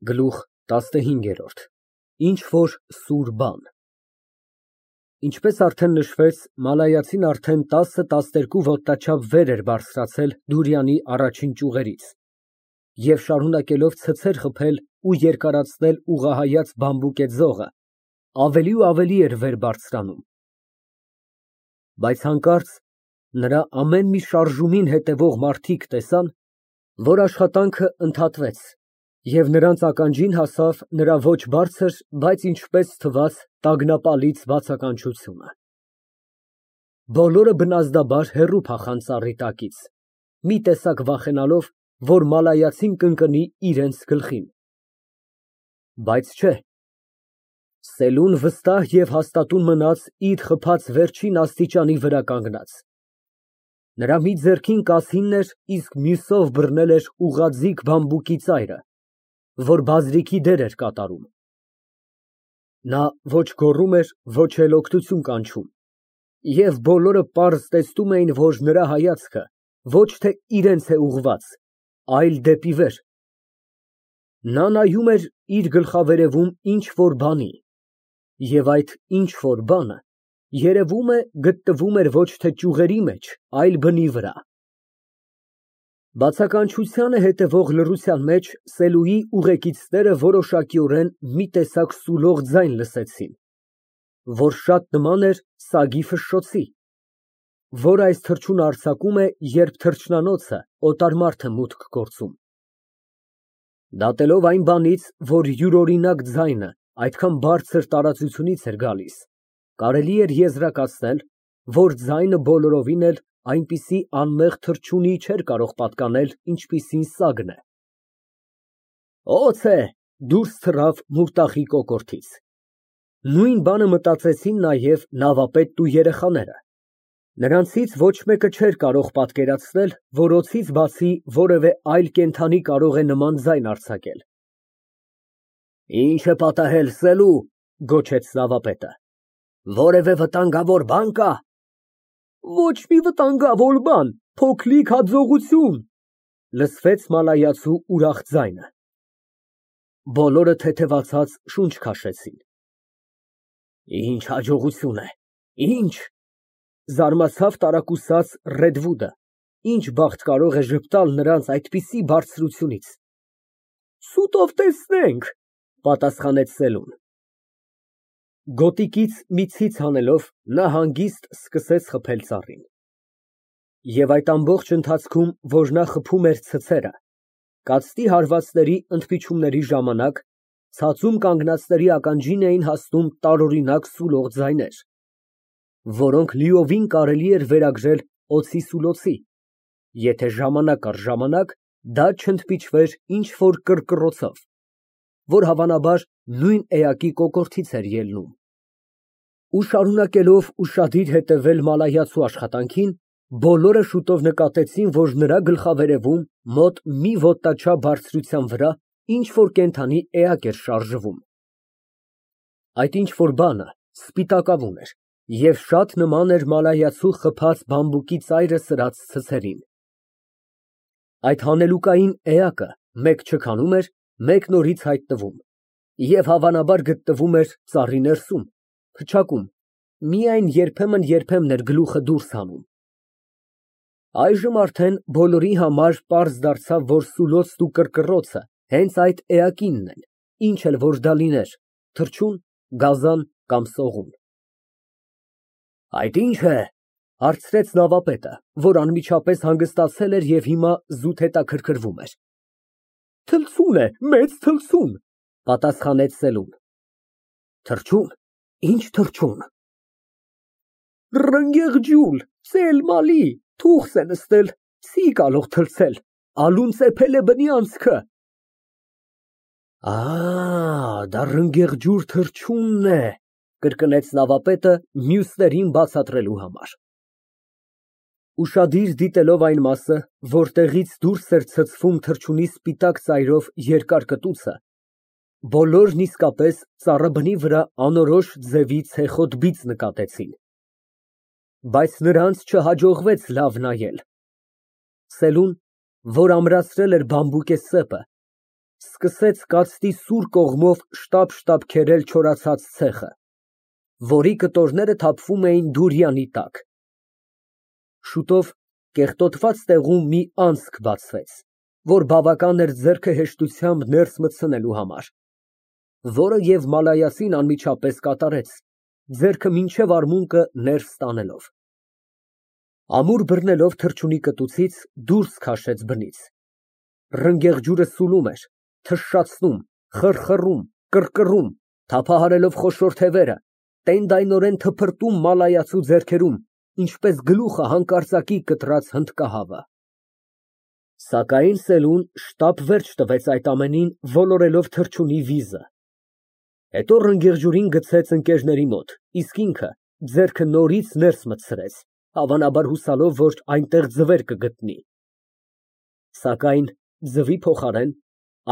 Գլուխ 15 Ինչ֊որ սուր բան Ինչպես արդեն նշվեց, մալայացին արդեն 10-12 ոտնաչափ վեր էր բարձրացել Դուրյանի առաջին ճյուղերից և շարունակելով ցցեր խփել ու երկարացնել ուղղահայաց բամբուկե ձողը, ավելի ու ավելի էր վեր բարձրանում, բայց հանկարծ նրա ամեն մի շարժումին հետևող մարդիկ տեսան, որ աշխատանքը ընդհատվեց և նրանց ականջին հասավ նրա ոչ բարձր, բայց ինչպես թվաց տագնապալից բացականչությունը։ Բոլորը բնազդաբար հեռու փախան ծառի տակից, մի տեսակ վախենալով, որ մալայացին կընկնի իրենց գլխին, բայց չէ, Սելուն վստահ և հաստատուն մնաց իր խփած վերջին աստիճանի վրա կանգնած, նրա մի ձեռքին կասինն էր, իսկ մյուսով բռնել էր ուղղաձիգ բամբուկի ծայրը, որ բազրիքի դեր էր կատարում։ Նա ոչ գոռում էր, ոչ էլ օգնություն կանչում, և բոլորը պարզ տեսնում էին, որ նրա հայացքը ոչ թե իրենց է ուղղված, այլ դեպի վեր։ Նա նայում էր իր գլխավերևում ինչ֊որ բանի, և այդ ինչ֊որ բանը, երևում է, գտնվում էր ոչ թե ճյուղերի մեջ, այլ բնի վրա։ Բացականչությանը հետևող լռության մեջ Սելուի ուղեկիցները որոշակիորեն մի տեսակ սուլող ձայն լսեցին, որ շատ նման էր սագի ֆշշոցի, որ այս թռչունը արձակում է, երբ թռչնանոցը օտար մարդ է մուտք գործում։ Դատելով այն բանից, որ յուրօրինակ ձայնը այդքան բարձր տարածությունից էր գալիս, կարելի էր եզրակացնել, որ ձայնը բոլորովին էլ այնպիսի անմեղ թռչունի չէր կարող պատկանել, ինչպիսին սագն է։ Օձ է, դուրս թռավ մուրտախի կոկորդից։ Նույն բանը մտածեցին նաև նավապետն ու երեխաները։ Նրանցից ոչ մեկը չէր կարող պատկերացնել, որ օձից բացի որևէ այլ կենդանի կարող է նման ձայն արձակել։ Ինչ է պատահել, Սելու, գոչեց նավապետը, որևէ վտանգավոր բան կա։ Ոչ մի վտանգավոր բան, փոքրիկ հաջողություն, լսվեց մալայացու ուրախ ձայնը։ Բոլորը թեթևացած շունչ քաշեցին։ Ինչ հաջողություն է, ինչ, զարմացավ տարակուսած Ռեդվուդը, ինչ բախտ կարող է ժպտալ նրանց այդպիսի բարձրությունից։ Սուտով տեսնենք, պատասխանեց Սելուն։ Գոտիկից մի ցից հանելով, նա հանգիստ սկսեց խփել ծառին։ Եվ այդ ամբողջ ընթացքում, որ նա խփում էր ցցերը, կացտի հարվածների ընդմիջումների ժամանակ ցածում կանգնածների ականջին էին հասնում տարօրինակ սուլող ձայներ, որոնք լիովին կարելի էր վերագրել օձի սուլոցի, եթե ժամանակ առ ժամանակ դա չընդմիջվեր ինչ֊որ կռկռոցով, որ հավանաբար նույն էակի կոկորդից էր ելնում։ Ու շարունակելով ուշադիր հետևել մալայացու աշխատանքին, բոլորը շուտով նկատեցին, որ նրա գլխավերևում մոտ մի ոտնաչափ բարձրության վրա ինչ֊որ կենդանի էակ էր շարժվում։ Այդ ինչ֊որ բանը սպիտակավուն էր և շատ նման էր մալայացու խփած բամբուկի ծայրը սրած ցցերին։ Այդ հանելուկային էակը մեկ չքանում էր, մեկ նորից հայտնվում և հավանաբար գտնվում էր ծառի ներսում, փչակում, միայն երբեմն էր գլուխը դուրս հանում։ Այժմ արդեն բոլորի համար պարզ դարձավ, որ սուլոցն ու կռկռոցը հենց այդ էակինն են, ինչ էլ որ դա լիներ, թռչուն, գազան կամ սողուն։ Այդ ի՞նչ է, հարցրեց նավապետը, որ անմիջապես հանգստացել էր և հիմա զուտ հետաքրքրվում էր։ Թլցուն է, մեծ թլցուն, պատասխանեց Սելուն։ Թռչուն, ինչ թռչուն։ Ռնգեղջյուլ, սելմալի, թուղս է նստել, չի կարող թռցել, ալուն ծեփել է բնի անցքը։ Դա ռնգեղջյուր թռչունն է, կրկնեց նավապետը մյուսներին բացատրելու համար։ Ուշադիր դիտելով այն մասը, որտեղից դուրս էր ցցվում թռչունի սպիտակ ծայրով երկար կտուցը, բոլորն իսկապես ծառաբնի վրա անորոշ ձևի ցեխոտ բիծ նկատեցին, բայց նրանց չհաջողվեց լավ նայել։ Սելուն, որ ամրացրել էր բամբուկե սեպը, սկսեց կացտի սուր կողմով շտապ քերել չորացած ցեխը, որի կտորները թափվում էին դուրյանի տակ։ Շուտով կեղտոտված տեղում մի անցք բացվեց, որ բավական էր ձեռքը հեշտությամբ ներս մտցնելու համար, որը և մալայասին անմիջապես կատարեց, ձեռքը մինչև արմունկը ներս տանելով։ Ամուր բռնելով թռչունի կտուցից դուրս քաշեց բնից։ Ռնգեղջյուրը սուլում էր, թշշացնում, խռխռում, կռկռում, թափահարելով խոշոր թևերը, տենդայնորեն թփրտում մալայացու ձեռքերում, ինչպես գլուխը հանկարծակի կտրած հնդկահավը։ Սակայն Սելուն շտապ վերջ տվեց այդ ամենին, ոլորելով թռչունի վիզը։ Հետո ռնգեղջյուրին գցեց ընկերների մոտ, իսկ ինքը ձեռքը նորից ներս մտցրեց, հավանաբար հուսալով, որ այնտեղ ձվեր կգտնի։ Սակայն ձվի փոխարեն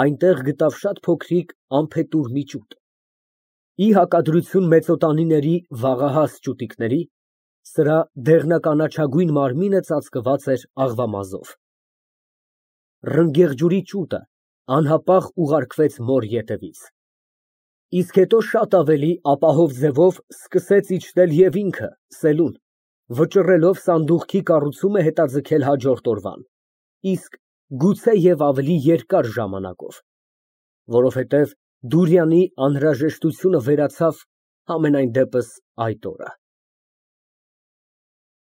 այնտեղ գտավ շատ փոքրիկ անփետուր մի ճուտ։ Ի հակադրություն մեծոտանիների վաղահաս ճուտիկների, սրա դեղնականաչագույն մարմինը ծածկված էր աղվամազով։ Ռնգեղջյուրի ճուտը անհապաղ ուղարկվեց մոր ետևից։ Իսկ հետո շատ ավելի ապահով ձևով սկսեց իջնել և ինքը, Սելուն, վճռելով սանդուղքի կառուցումը հետաձգել հաջորդ օրվան, իսկ գուցե և ավելի երկար ժամանակով, որովհետև Դուրյանի անհրաժեշտությունը վերացավ համենայն դեպս այդ օրը։